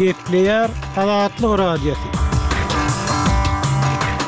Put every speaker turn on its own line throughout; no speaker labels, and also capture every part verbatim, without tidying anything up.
Gepleýär Azatlyk Radiosy.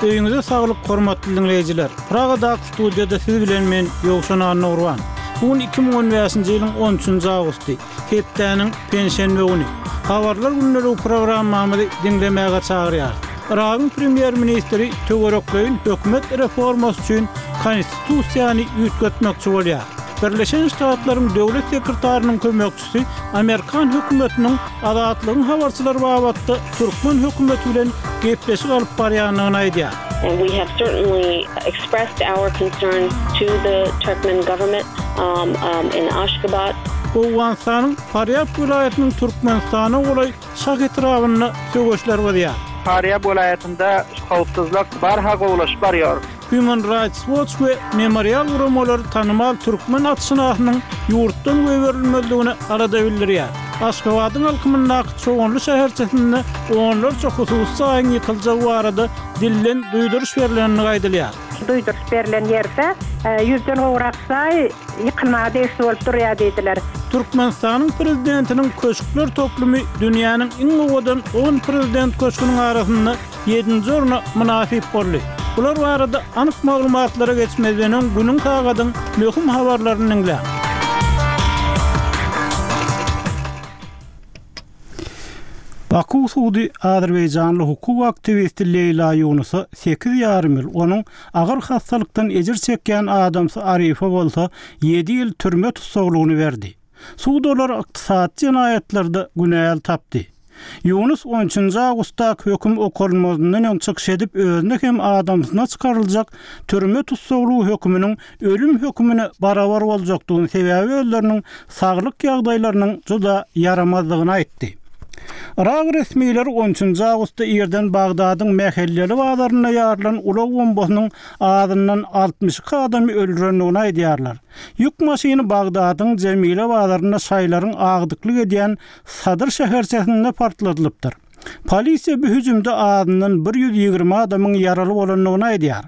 Öýüňize saglyk hormatly dinleýjiler. Pragadaky studiýada siz bilen men Ýowşan Annagurban. Bu gün iki müň on bäşinji ýylyň on üçünji awgusty, hepdäniň penşenbe güni. Habarlar günleri programmamyzy diňlemäge çagyrýarys. Yragyň premýer-ministri töwerekleýin hökümet reformasy üçin konstitusiýany üýtgetmekçi bolýar. Birleşen Ştatlaryň döwlet sekretarynyň kömekçisi Amerikan hökümetiniň Azatlygyň habarçylary babatda türkmen hökümeti bilen gepleşik alyp barýandygyny aýdýar.
And we have certainly expressed our concerns to the Turkmen government, um, um, in Ashgabat.
Owganystanyň Farýab welaýatynyň Türkmenistana golaý Şah etrabynda söweşler gyzýar.
Farýab welaýatynda howpsuzlyk barha gowulaşyp barýar.
Human Rights Watch we Memorial guramalary tanymal türkmen atşynasynyň ýurtdan goýberilmezligine alada bildirýär. Aşgabadyň alkymyndaky Çoganly şäherçesinde onlarça hususy jaýyň ýykyljagy barada dilden duýduryş berlenini aýdylýar.
Duýduryş berlen ýerde, e, ýüzden gowrak jaý ýykylmaga degişli bolup durýar diýdiler.
Türkmenistanyň prezidentiniň köşkler toplumy dünýäniň iň owadan on prezident köşgüniň arasynda ýedinji orna mynasyp boldy. Bular barada anyk maglumatlara geçmezden öň günüň sagadyň möhüm habarlaryny diňläň. Baku sudy Azerbaýjanly hukuk aktiwisti Leýla Ýunusa sekiz ýarym ýyl, onuň agyr hassalykdan ejir çekýän adamsy Arifa bolsa ýedi ýyl türme tussaglygyny berdi. Sud olar ykdysady jenaýatlarda günäli tapdy. Ýunus on üçünji awgustda höküm okalmazyndan öň çykyş edip özüne hem adamsyna çykaryljak türme tussaglygy höküminiň ölüm hökümine barabar boljakdygyny sebäbi özleriniň saglyk ýagdaýlarynyň juda ýaramazdygyny aýtdy. Irak resmileri on üçünji awgustda irden Bagdadyň mähelleli bazarynda ýarylan ulag bombasynyň azyndan altmyş iki adamy öldürendigini aýdýarlar. Ýük maşyny Bagdadyň Jemile bazarynda şaýlaryň agdyklyk edýän Sadyr şäherçesinde partladylypdyr. Polisiýa bu hüjümde azyndan bir ýüz ýigrimi adamyň ýaraly bolandygyny aýdýar.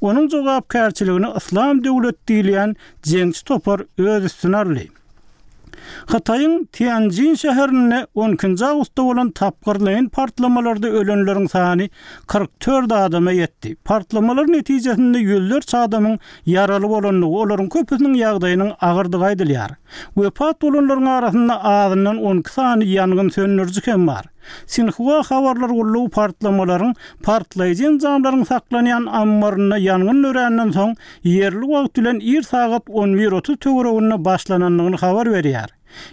Onuň jogapkärçiligini Yslam döwlet diýilýän jeňçi topar öz üstüne aldy. Hytaýyň Tianjin şäherinde on ikinji awgustda bolan tapgyrlaýyn partlamalarda ölenleriň sany kyrk dört adama ýetdi. Partlamalar netijesinde ýüzlerçe adamyň ýaraly bolandygy, olaryň köpüsiniň ýagdaýynyň agyrdygy aýdylýar. Wepat bolanlaryň arasynda azyndan on iki sany ýangyn söndüriji hem bar. Sinhua habarlar gullugy partlamalaryň partlaýjy enjamlaryň saklanýan ammarynda ýangyn döränden soň ýerli wagt bilen ir sagat on bir otuz töwereginde başlanandygyny habar berýär.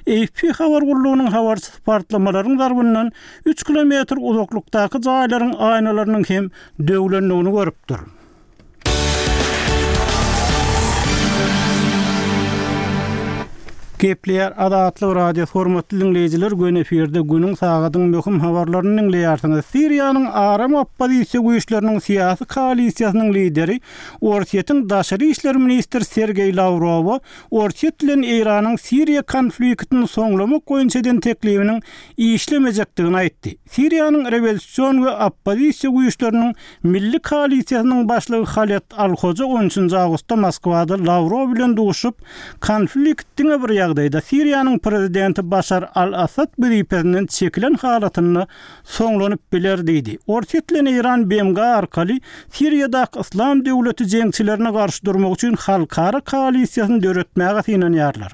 A F P habar gullugynyň habarçysy partlamalaryň zarbyndan üç kilometr uzaklykdaky jaýlaryň aýnalarynyň hem döwlendigini görüpdir. Gepleýär Azatlyk Radio hormatly dinleýjiler, gün efirde günüň sagadyň möhüm habarlaryny dinleýärsiňiz. Siriýanyň aram oppozisiýa güýçleriniň syýasy koalisiýasynyň lideri Orsýetiň daşary işler ministri Sergeý Lawrowa Orsýet bilen Eýranyň Siriýa konfliktini soňlamak boýunça eden teklibiniň işlemejekdigini aýtdy. Siriýanyň rewolýusion we oppozisiýa güýçleriniň milli koalisiýasynyň başlygy Haled Al-Hoja on üçünji awgustda Moskwada Lawrow bilen duşup, konflikt diňe bir ýagdaýda Siriýanyň prezidenti Başar al-Assad wezipesinden çekilen halatynda soňlanyp biler diýdi. Orsýet bilen Eýran B M G arkaly Siriýadaky Yslam döwleti jeňçilerine garşy durmak üçin halkara koalisiýasyny döretmäge synanýarlar.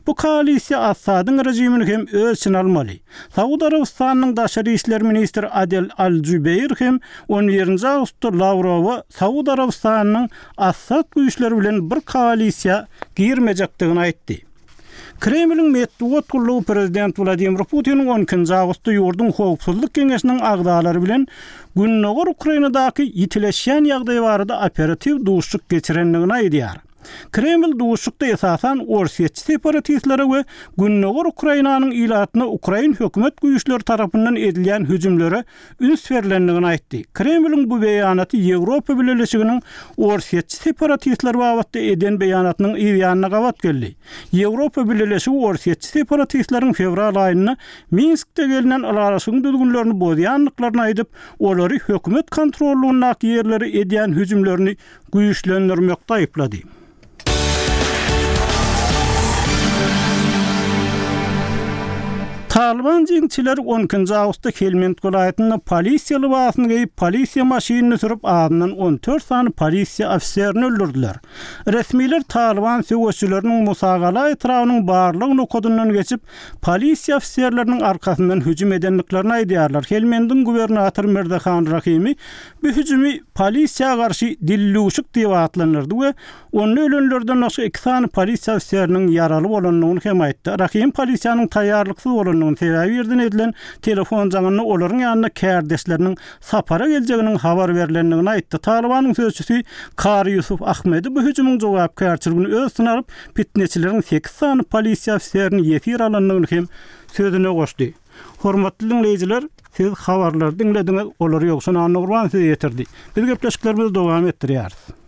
Bu koalisiýa Assadyň rejimini hem öz içine almaly. Saud Arabystanyň daşary işler ministri Adel Al-Jubeýr hem on birinji awgustda Lawrowa Saud Arabystanyň Assad güýçleri bilen bir koalisiýa girmejekdigini aýtdy. Kremliň metbugat gullugy prezident Wladimir Putiniň on ikinji awgustda ýurduň howpsuzlyk geňeşiniň agzalary bilen Gündogar Ukrainadaky ýitileşýän ýagdaý barada operatiw duşuşyk geçirendigini aýdýar. Kreml duşuşykda esasan orsýetçi separatistlere we Gündogar Ukrainanyň ilatyna Ukrain hökümet güýçleri tarapyndan edilýän hüjümlere üns berlendigini aýtdy. Kremliň bu beýanaty Ýewropa Bileleşiginiň orsýetçi separatistler babatda eden beýanatynyň yz ýanyna gabat geldi. Ýewropa Bileleşigi orsýetçi separatistleriň fewral aýynda Minskde gelinen ylalaşygyň düzgünlerini bozýandyklaryny aýdyp, olary hökümet kontrollugyndaky ýerlere edýän hüjümlerini güýçlendirmekde aýyplady. Talyban jeňçileri on ikinji awgustda Helmend welaýatynda polisiýa lybasyny geýip, polisiýa maşynyny sürüp, azyndan on dört sany polisiýa ofiserini öldürdiler. Resmiler Talyban söweşçileriniň Musagala etrabynyň barlag nokadyndan geçip, polisiýa ofiserleriniň arkasyndan hüjüm edendiklerini aýdýarlar. Helmendiň gubernatory Mirzahan Rahimi bu hüjümi polisiýa garşy dillüşik diýip atlandyrdy we onda ölenlerden başga iki sany polisiýa ofiseriniň ýaraly bolandygyny hem aýtdy. Rahim polisiýanyň taýýarlyksyz bolandygyny sebäbi ýerden edilen telefon jaňynda olaryň ýanynda kärdeşleriniň sapara geljeginiň habar berlendigini aýtdy. Talybanyň sözçüsi Kari Ýusuf Ahmedi bu hüjümiň jogapkärçiligini öz üstüne alyp, fitneçileriň sekiz sany polisiýa ofiserini ýesir alandygyny hem sözüne goşdy. Hormatly dinleýjiler, siz habarlary diňlediňiz, olary Ýowşan Annagurban size ýetirdi. Biz gepleşiklerimizi dowam etdirýäris.